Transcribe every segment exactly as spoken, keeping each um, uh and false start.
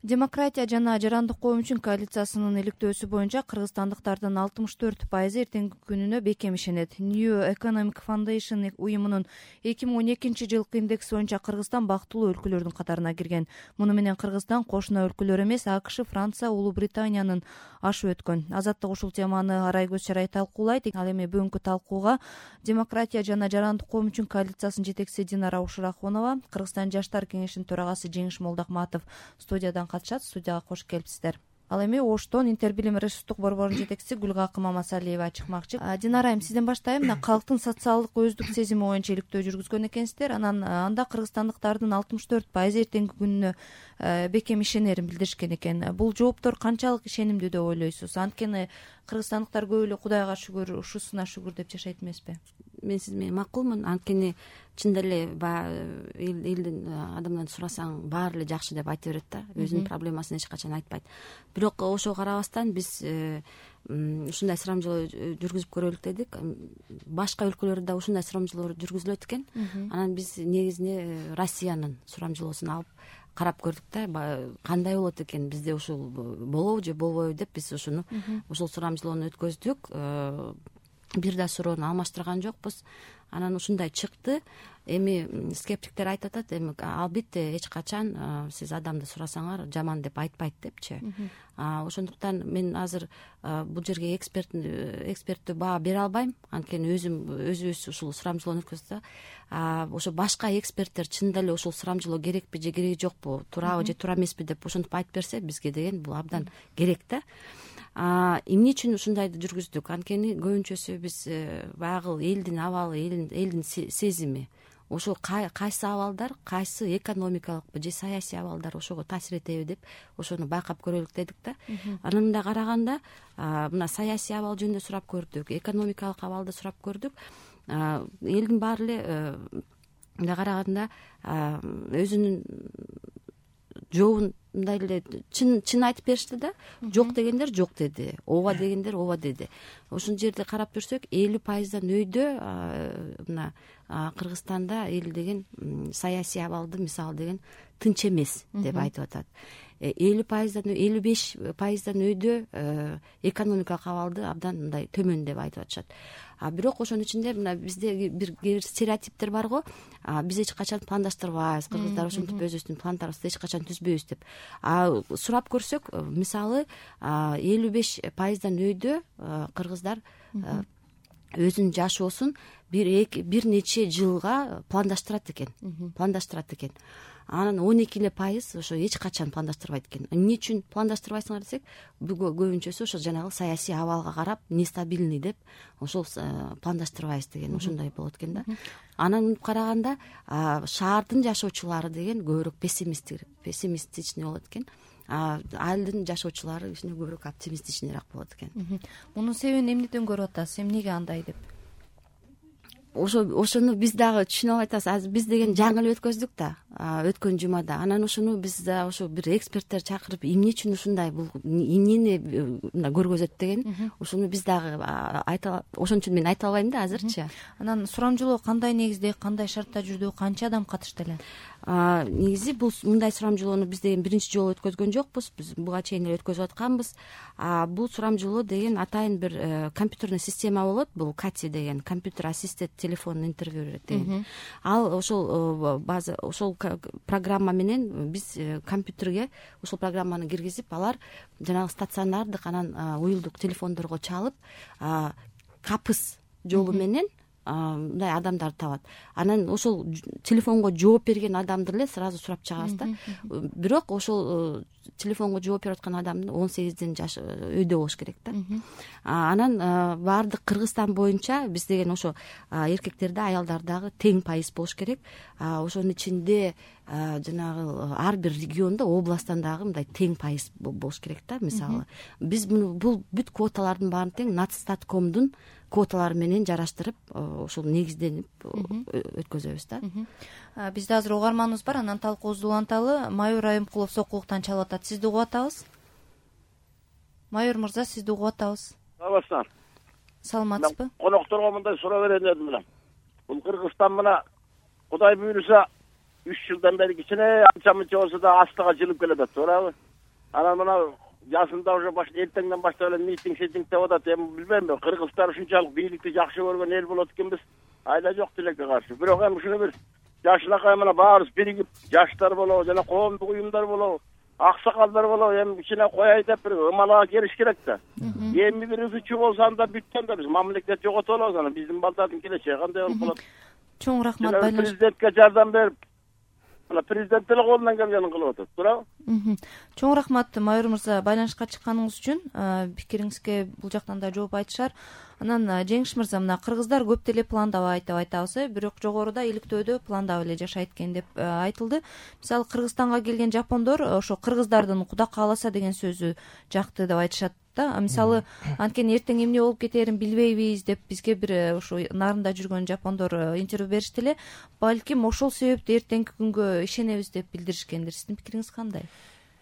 Демократия жана жарандык коом үчүн коалициясынын иликтөөсү боюнча кыргызстандыктардын алтымыш төрт пайызы эртеңки күнүнө бекем ишенет. New Economic Foundation уюмунун эки миң он экинчи жылкы индекси боюнча Кыргызстан бактылуу өлкөлөрдүн катарына кирген. Муну менен Кыргызстан кошуна өлкөлөр эмес, АКШ, Франция, Улуу Британиянын ашып өткөн. Азаттык ушул теманы Арайгөз Шарай талкуулайт. Ал эми бүгүнкү талкууга Демократия жана жарандык коом үчүн коалициясынын жетекчиси Динара Ушурахунова, Кыргызстан жаштар кеңешинин төрагасы Жеңиш Молдохматов студиядан катышат. Студияга кош келипсиздер. Ал эми Оштон Интербилим ресурстук борборунун жетекчиси Гүлгакы Мамасалиева чыкмакчы. Динара айым, сизден баштайм. Мына калктын социалдык өздүк сезими боюнча иликтөө жүргүзгөн экенсиздер. Анан анда кыргызстандыктардын алтымыш төрт пайызы эртеңки күнүнө бекем ишенерин билдиришкен экен. Бул жооптор канчалык ишенимдүү деп ойлойсуз? Анткени кыргызстандыктар көп эле Кудайга шүгүр, ушусуна шүгүр деп жашайт эмеспи? Мен сиз менен макулмун. Анткени чында эле элдин адамдан сурасаң баары эле жакшы деп айта берет да, өзүнүн проблемасын эч качан айтпайт. Бирок ошого карабастан биз ушундай сурамжылоо жүргүзүп көрөлүк дедик. Башка өлкөлөрдө да ушундай сурамжылоо жүргүзүлөт экен. Анан биз негизинде Россиянын сурамжылоосун алып карап көрдүк да, кандай болот экен, бизде ушул болобу же болбойбу деп биз ушуну ушул сурамжылоону өткөздүк. Бир да суроону алмаштырган жокпуз. Анан ушундай чыкты. Эми скептиктер айтып атат, эми албетте эч качан сиз адамды сурасаңар жаман деп айтпайт депчи. Ошондуктан мен азыр бул жерге эксперт эксперттүү баа бере албайм. Анткени өзүм өзүбүз ушул сурамжылоону өткөздүк. Ошо башка эксперттер чында эле ушул сурамжылоо керекпи же кереги жокпу, туурабы же туура эмеспи деп ошентип айтып берсе, бизге деген бул абдан керек да. Эмне үчүн ушундайды жүргүздүк? Анткени көбүнчөсү биз баягы элдин абалы, элдин сезими, ошо кайсы абалдар, кайсы экономикалык же саясий абалдар ошого таасир этеби деп ошону байкап көрөлүк дедик да. Анан мындай караганда, мына саясий абал жөнүндө сурап көрдүк, экономикалык абалды сурап көрдүк. Элдин баары эле мындай караганда өзүнүн жообун мындай эле чын чын айтып беришти да. Жок дегендер жок деди, ооба дегендер ооба деди. Ошол жерде карап көрсөк, элүү пайыздан өйдө мына Кыргызстанда эл деген саясий абалды мисалы деген тынч эмес деп айтып атат. элүү пайыздан элүү беш пайыздан өйдө экономикалык абалды абдан мындай төмөн деп айтып атышат. Бирок ошонун ичинде мына бизде бир стереотиптер бар го. Биз эч качан пландаштырбайбыз, кыргыздар ошентип өзүбүздүн пландарды эч качан түзбөйбүз деп. Сурап көрсөк, мисалы элүү беш пайыздан өйдө кыргыздар өзүнүн жашоосун бир нече жылга пландаштырат экен, пландаштырат экен. Анан он эки эле пайыз ошо эч качан пландаштырбайт экен. Эмне үчүн пландаштырбайсыңар десек, көбүнчөсү ошо жанагы саясий абалга карап нестабильный деп ошол пландаштырбайбыз деген ошондой болот экен да. Анан караганда шаардын жашоочулары деген көбүрөөк пессимистичный болот экен. Айылдын жашоочулары кичине көбүрөөк оптимистичныйраак болот экен. Мунун себебин эмнеден көрүп атасыз? Эмнеге андай деп? Ошо ошону биз дагы түшүнүп албай атабыз. Азыр биз деген жаңы эле өткөздүк да, өткөн жумада. Анан ошону биз да ошо бир эксперттер чакырып, эмне үчүн ушундай, бул эмнени мына көргөзөт деген, ошону биз дагы айта, ошон үчүн мен айта албайм да азырчы. Анан сурамжылоо кандай негизде, кандай шартта жүрдү, канча адам катышты эле? Негизи бул мындай сурамжылоону биз деген биринчи жолу өткөзгөн жокпуз. Биз буга чейин эле өткөзүп атканбыз. Бул сурамжылоо деген атайын бир компьютерный система болот. Бул Кати деген компьютер ассистент телефон интервью деген. Ал ошол база, ошол программа менен биз компьютерге ошол программаны киргизип, алар жанагы стационардык, анан уюлдук телефондорго чалып, капыс жолу менен мындай адамдарды табат. Анан ошол телефонго жооп берген адамды эле сразу сурап чыгабыз да. Бирок ошол телефонго жооп берип аткан адамдын он сегизден жаш өйдө болуш керек да. Анан баардык Кыргызстан боюнча биз деген ошо эркектерде, аялдардагы тең пайыз болуш керек. Ошонун ичинде жанагы ар бир региондо, областтан дагы мындай тең пайыз болуш керек да. Мисалы, биз бул бүт квоталардын баарын тең Натстаткомдун квоталары менен жараштырып, ошол негизденип өткөзөбүз да. Бизде азыр угарманыбыз бар, анан талкуубузду уланталы. Майор Айымкулов Сокулуктан чалып атат. Сизди угуп атабыз. Майор мырза, сизди угуп атабыз. Саламатсыздар. Саламатсызбы? Конокторго мындай суроо берейин дедим эле. Бул Кыргызстан мына Кудай буйруса үч жылдан бери кичине анча мынча болсо да астыга жылып келатат, туурабы? анан мына жасында уже баш эртеңден баштап эле митинг шетинг деп атат. Эми билбейм, кыргызстар ушунчалык бийликти жакшы көргөн эл болот экенбиз. Айда жок тилекке каршы. Бирок эми ушуну бир жашынакай мына баарыбыз биригип, жаштар болобу жана коомдук уюмдар болобу, аксакалдар болобу, эми кичине кояй деп бир ымалага келиш керек да. Эми бир үзүчү болсо анда бүттөн да биз мамлекет жоготуп алабыз, анан биздин балдардын келечеги кандай болуп калат? Чоң рахмат байланыш. Президентке жардам берип, мына президент деле колунан келгенин кылып атат, туурабы? Чоң рахмат Майыр мырза, байланышка чыкканыңыз үчүн. Пикириңизге бул жактан да жооп айтышар. Анан Жеңиш мырза, мына кыргыздар көп деле пландабайт деп айтабыз, бирок жогоруда иликтөөдө пландап эле жашайт экен деп айтылды. Мисалы Кыргызстанга келген жапондор ошо кыргыздардын Кудай кааласа деген сөзү жакты деп айтышат да. Мисалы анткени эртең эмне болуп кетерин билбейбиз деп бизге бир ошо нарында жүргөн жапондор интервью беришти эле. Балким ошол себептен эртеңки күнгө ишенебиз деп билдиришкендир. Сиздин пикириңиз кандай?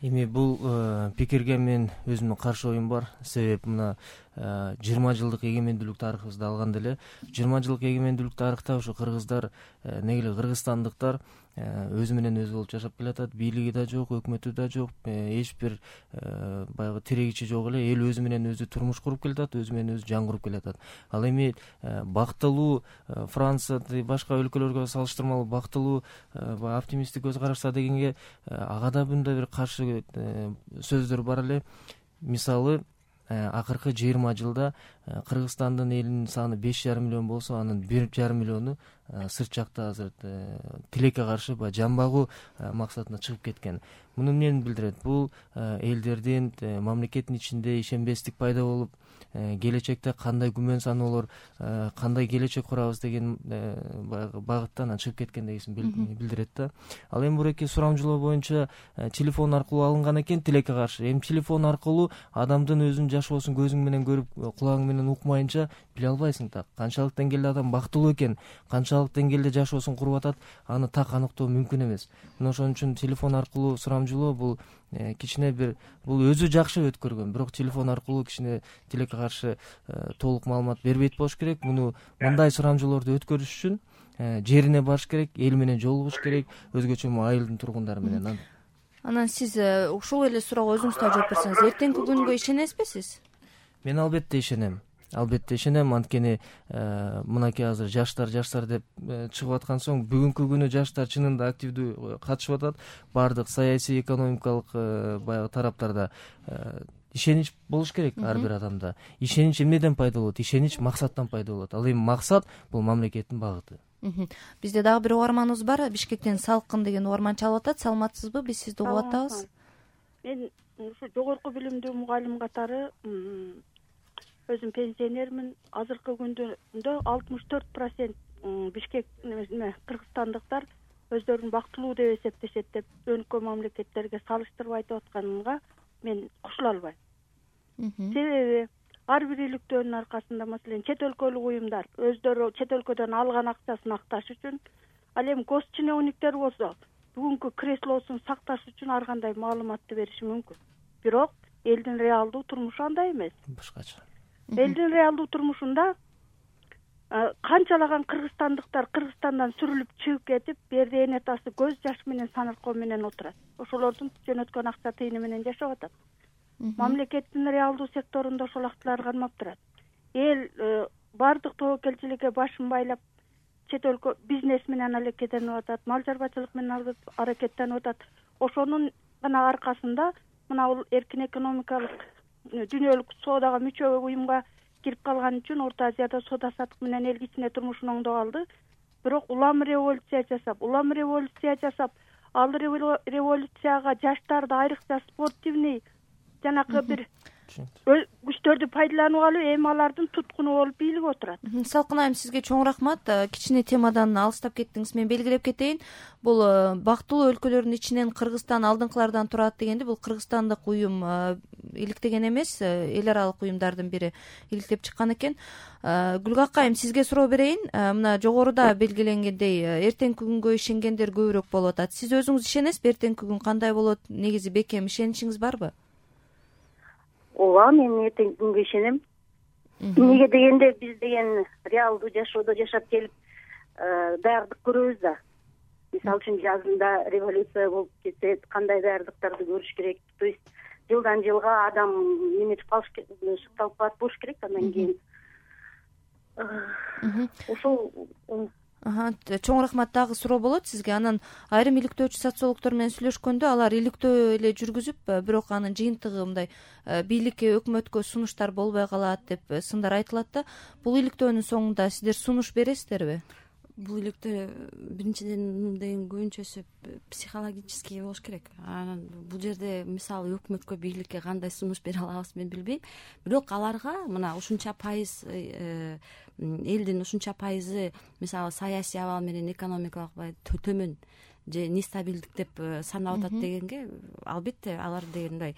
Эми бул пикирге мен өзүмдүн каршы оюм бар. Себеп мына жыйырма жылдык эгемендүүлүк тарыхыбызды алганда эле жыйырма жылдык эгемендүүлүк тарыхта ошо кыргыздар негиле кыргызстандыктар өзү менен өзү болуп жашап келатат. Бийлиги да жок, өкмөтү да жок, эч бир баягы тирегичи жок эле. Эл өзү менен өзү турмуш куруп келатат, өзү менен өзү жан куруп келатат. Ал эми бактылуу Франция башка өлкөлөргө салыштырмалуу бактылуу оптимисттик көз карашта дегенге ага да мындай бир каршы сөздөр бар эле. Мисалы акыркы жыйырма жылда Кыргызстандын элинин саны беш жарым миллион болсо, анын бир жарым миллиону сырт жакта азыр тилекке каршы баягы жан багуу максатына чыгып кеткен. Муну эмнени билдирет? Бул элдердин мамлекеттин ичинде ишенбестик пайда болуп, келечекте кандай күмөн саноолор, кандай келечек курабыз деген баягы багыттан чыгып кеткен дегенсин билдирет да. Ал эми буреки сурамжылоо боюнча телефон аркылуу алынган экен тилекке каршы. Эми телефон аркылуу адамдын өзүнүн жашоосун көзүң менен көрүп, кулагың менен укмайынча биле албайсың да. Канчалык деңгээлде адам бактылуу экен, канчалык деңгээлде жашоосун куруп атат, аны так аныктоо мүмкүн эмес. Мына ошон үчүн телефон аркылуу сурамжылоо бул кичине бир бул өзү жакшы өткөргөн, бирок телефон аркылуу кичине тилекке каршы толук маалымат бербейт болуш керек. Муну мындай сурамжылоорду өткөрүш үчүн жерине барыш керек, эл менен жолугуш керек, өзгөчө айылдын тургундары менен. Анан сиз ушул эле суроого өзүңүз да жооп берсеңиз, эртеңки күнгө ишенесизби сиз? Мен албетте ишенем. Албетте ишенем, анткени мынакей азыр жаштар жаштар деп чыгып аткан соң бүгүнкү күнү жаштар чынында активдүү катышып атат. Баардык саясий, экономикалык баягы тараптарда ишенич болуш керек ар бир адамда. Ишенич эмнеден пайда болот? Ишенич максаттан пайда болот. Ал эми максат бул мамлекеттин багыты. Бизде дагы бир угарманыбыз бар. Бишкектен Салкын деген угарман чалып атат. Саламатсызбы? Биз сизди угуп атабыз. Мен ушу жогорку билимдүү мугалим катары өзүм пенсионермин. Азыркы күндө алтымыш төрт процент Бишкек кыргызстандыктар өздөрүн бактылуу деп эсептешет деп өнкө мамлекеттерге салыштырып айтып атканга мен кошула албайм. Себеби ар бир иликтөөнүн аркасында, маселен, чет өлкөлүк уюмдар өздөрү чет өлкөдөн алган акчасын акташ үчүн, ал эми госчиновниктер болсо бүгүнкү креслосун сакташ үчүн ар кандай маалыматты бериши мүмкүн. Бирок элдин реалдуу турмушу андай эмес. Башкача. Элдин реалдуу турмушунда канчалаган кыргызстандыктар Кыргызстандан сүрүлүп чыгып кетип, берде эне атасы көз жаш менен саныркоо менен отурат. Ошолордун жөнөткөн акча тыйыны менен жашап атат. Мамлекеттин реалдуу секторунда ошол акчалар кармап турат. Эл баардык тобокелчиликке башын байлап, чет өлкө бизнес менен аракеттенип атат, мал чарбачылык менен аракеттенип атат. Ошонун гана аркасында мына бул эркин экономикалык дүйнөлүк соодага мүчө уюмга кирип калган үчүн Орто Азияда соода саттык менен эл кичине турмушун оңдоп алды. Бирок улам революция жасап, улам революция жасап, ал революцияга жаштарды, айрыкча спортивный жанакы бир күчтөрдү пайдаланып алып, эми алардын туткуну болуп бийлип отурат. Салкын айым, сизге чоң рахмат. Кичине темадан алыстап кеттиңиз. Мен белгилеп кетейин. Бул бактылуу өлкөлөрдүн ичинен Кыргызстан алдыңкылардан турат дегенде, бул кыргызстандык уюм иликтеген эмес, эл аралык уюмдардын бири иликтеп чыккан экен. Гүлгак айым, сизге суроо берейин. Мына жогоруда белгиленгендей, эртеңки күнгө ишенгендер көбүрөөк болуп атат. Сиз өзүңүз ишенесизби? Эртеңки күн кандай болот? Негизи бекем ишеничиңиз барбы? Ооба, мен эртеңки күнгө ишенем. Эмнеге дегенде, биз деген реалдуу жашоодо жашап келип, даярдык көрөбүз да. Мисалы үчүн жазында революция болуп кетсе, кандай даярдыктарды көрүш керек. То есть жылдан жылга адам неметип калыш сукталып калат болуш керек. Андан кийин ушул чоң рахмат. Дагы суроо болот сизге. Анан айрым иликтөөчү социологдор менен сүйлөшкөндө алар иликтөө эле жүргүзүп, бирок анын жыйынтыгы мындай бийликке, өкмөткө сунуштар болбой калат деп сындар айтылат да. Бул иликтөөнүн соңунда сиздер сунуш бересиздерби? Бул иликтөө биринчиден деген көбүнчөсү психологический болуш керек. Анан бул жерде мисалы өкмөткө, бийликке кандай сунуш бере алабыз мен билбейм. Бирок аларга мына ушунча пайыз элдин ушунча пайызы мисалы саясий абал менен экономикалык төмөн же нестабилдик деп санап атат дегенге, албетте алар дегендай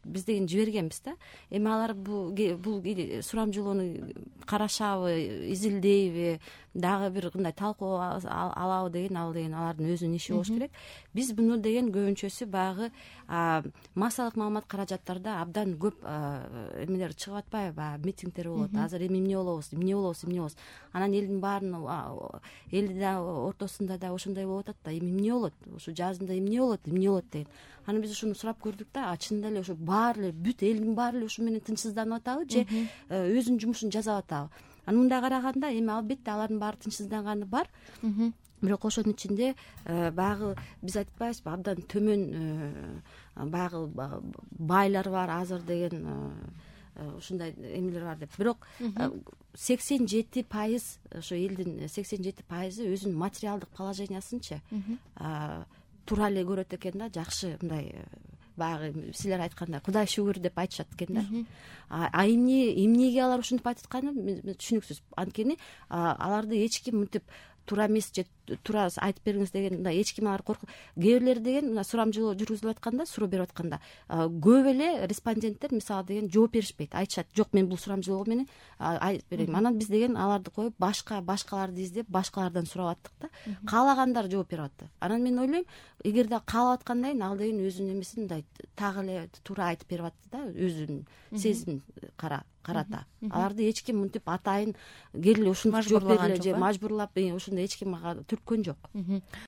биз деген жибергенбиз да. Эми алар бул бул сурамжылоону карашабы, изилдейби, дагы бир кандай талкуу алабы деген ал деген алардын өзүнүн иши болуш керек. Биз буну деген көбүнчөсү баягы массалык маалымат каражаттарда абдан көп эмелер чыгып атпайбы, баягы митингдер болот. Азыр эми эмне болобуз, эмне болобуз, эмне болобуз. Анан элдин баарынын элдин да ортосунда да ошондой болуп атат да. Эми эмне болот? Ушу жазында эмне болот, эмне болот деген. Анан биз ушуну сурап көрдүк да, чынында эле ушу баары эле бүт элдин баары эле ушу менен тынчсызданып атабы же өзүнүн жумушун жасап атабы. Анан мындай караганда эми албетте алардын баары тынчсызданганы бар. Бирок ошонун ичинде баягы биз айтып атпайбызбы, абдан төмөн баягы байлар бар азыр деген ушундай эмелер бар деп. Бирок сексен жети пайыз ошо элдин сексен жети пайызы өзүнүн материалдык положениясынчы туура эле көрөт экен да, жакшы мындай баягы силер айткандай Кудай шүгүр деп айтышат экен да. А эмне эмнеге алар ушинтип айтып атканы түшүнүксүз. Анткени аларды эч ким мынтип туура эмес же туура айтып бериңиз деген мындай эч ким алар коркуп. Кээ бирлери деген мына сурамжылоо жүргүзүлүп атканда, суроо берип атканда көп эле респонденттер мисалы деген жооп беришпейт. Айтышат, жок мен бул сурамжылоо менен айтып берейин. Анан биз деген аларды коюп башка башкаларды издеп башкалардан сурап аттык да. Каалагандар жооп берип атты. Анан мен ойлойм, эгерде каалап аткандайын ал деген өзүнүн эмесин мындай так эле туура айтып берип атты да, өзүнүн сезимин кара карата. Аларды эч ким мынтип атайын келе ушинтип жооп бергиле же мажбурлап ушундай эч ким ага түрткөн жок.